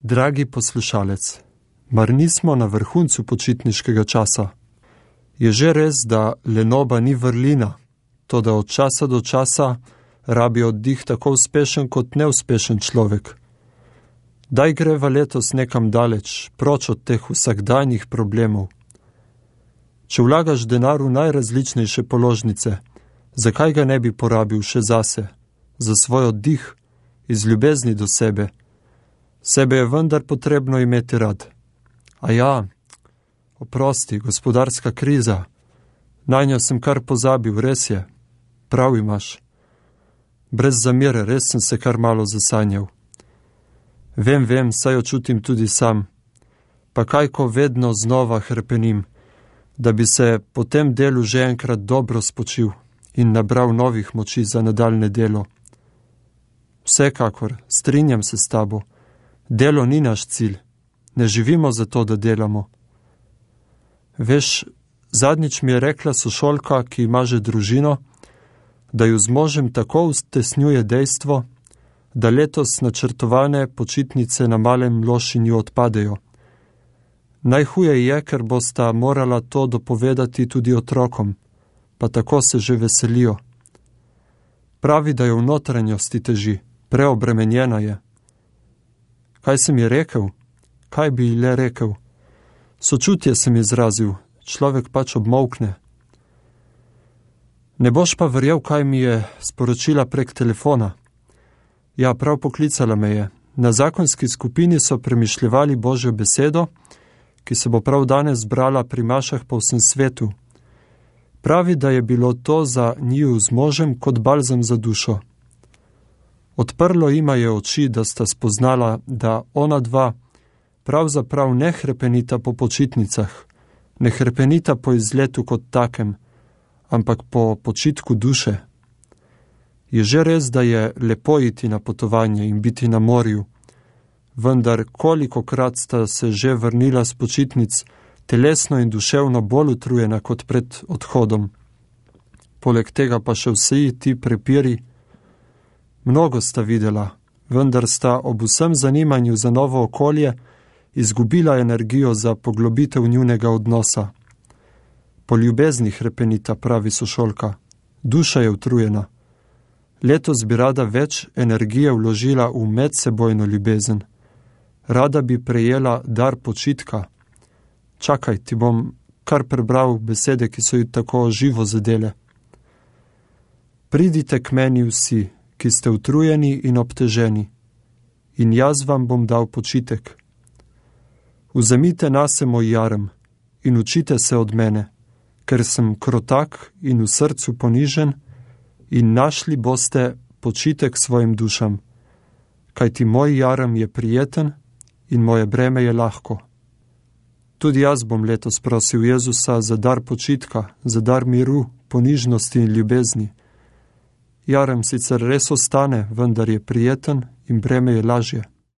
Dragi poslušalec, mar nismo na vrhuncu počitniškega časa? Je že res, da lenoba ni vrlina, toda od časa do časa rabi oddih tako uspešen kot neuspešen človek. Daj greva letos nekam daleč, proč od teh vsakdanjih problemov. Če vlagaš denar v najrazličnejše položnice, zakaj ga ne bi porabil še zase, za svoj oddih, iz ljubezni do sebe? Sebe je vendar potrebno imeti rad. A ja, oprosti, gospodarska kriza, nanjo sem kar pozabil, res je, prav imaš. Brez zamere, res sem se kar malo zasanjal. Vem, saj jo čutim tudi sam. Pa kaj, ko vedno znova hrepenim, da bi se po tem delu že enkrat dobro spočil in nabral novih moči za nadaljne delo. Vsekakor, strinjam se s tabo. Delo ni naš cilj. Ne živimo za to, da delamo. Veš, zadnjič mi je rekla sošolka, ki ima že družino, da ju z možem tako ustesnjuje dejstvo, da letos načrtovane počitnice na Malem Lošinju odpadejo. Najhuje je, ker bosta morala to dopovedati tudi otrokom, pa tako se že veselijo. Pravi, da je v notranjosti teži, preobremenjena je. Kaj sem ji rekel? Kaj bi ji le rekel? Sočutje sem izrazil, človek pač obmolkne. Ne boš pa verjel, kaj mi je sporočila prek telefona. Ja, prav poklicala me je. Na zakonski skupini so premišljevali Božjo besedo, ki se bo prav danes zbrala pri mašah po vsem svetu. Pravi, da je bilo to za njiju z možem kot balzam za dušo. Odprlo jima je oči, da sta spoznala, da ona dva pravzaprav ne hrepenita po počitnicah, ne hrepenita po izletu kot takem, ampak po počitku duše. Je že res, da je lepo iti na potovanje in biti na morju, vendar kolikokrat sta se že vrnila s počitnic, telesno in duševno bolj utrujena kot pred odhodom. Poleg tega pa še vsi ti prepiri. Mnogo sta videla, vendar sta ob vsem zanimanju za novo okolje izgubila energijo za poglobitev njunega odnosa. Po ljubezni hrepenita, pravi sošolka. Duša je utrujena. Letos bi rada več energije vložila v medsebojno ljubezen. Rada bi prejela dar počitka. Čakaj, ti bom kar prebral besede, ki so ji tako živo zadele. Pridite k meni vsi, ki ste utrujeni in obteženi, in jaz vam bom dal počitek. Vzemite nase moj jarem in učite se od mene, ker sem krotak in v srcu ponižen, in našli boste počitek svojim dušam, kajti moj jarem je prijeten in moje breme je lahko. Tudi jaz bom letos prosil Jezusa za dar počitka, za dar miru, ponižnosti in ljubezni. Jarem sicer res ostane, vendar je prijeten in breme je lažje.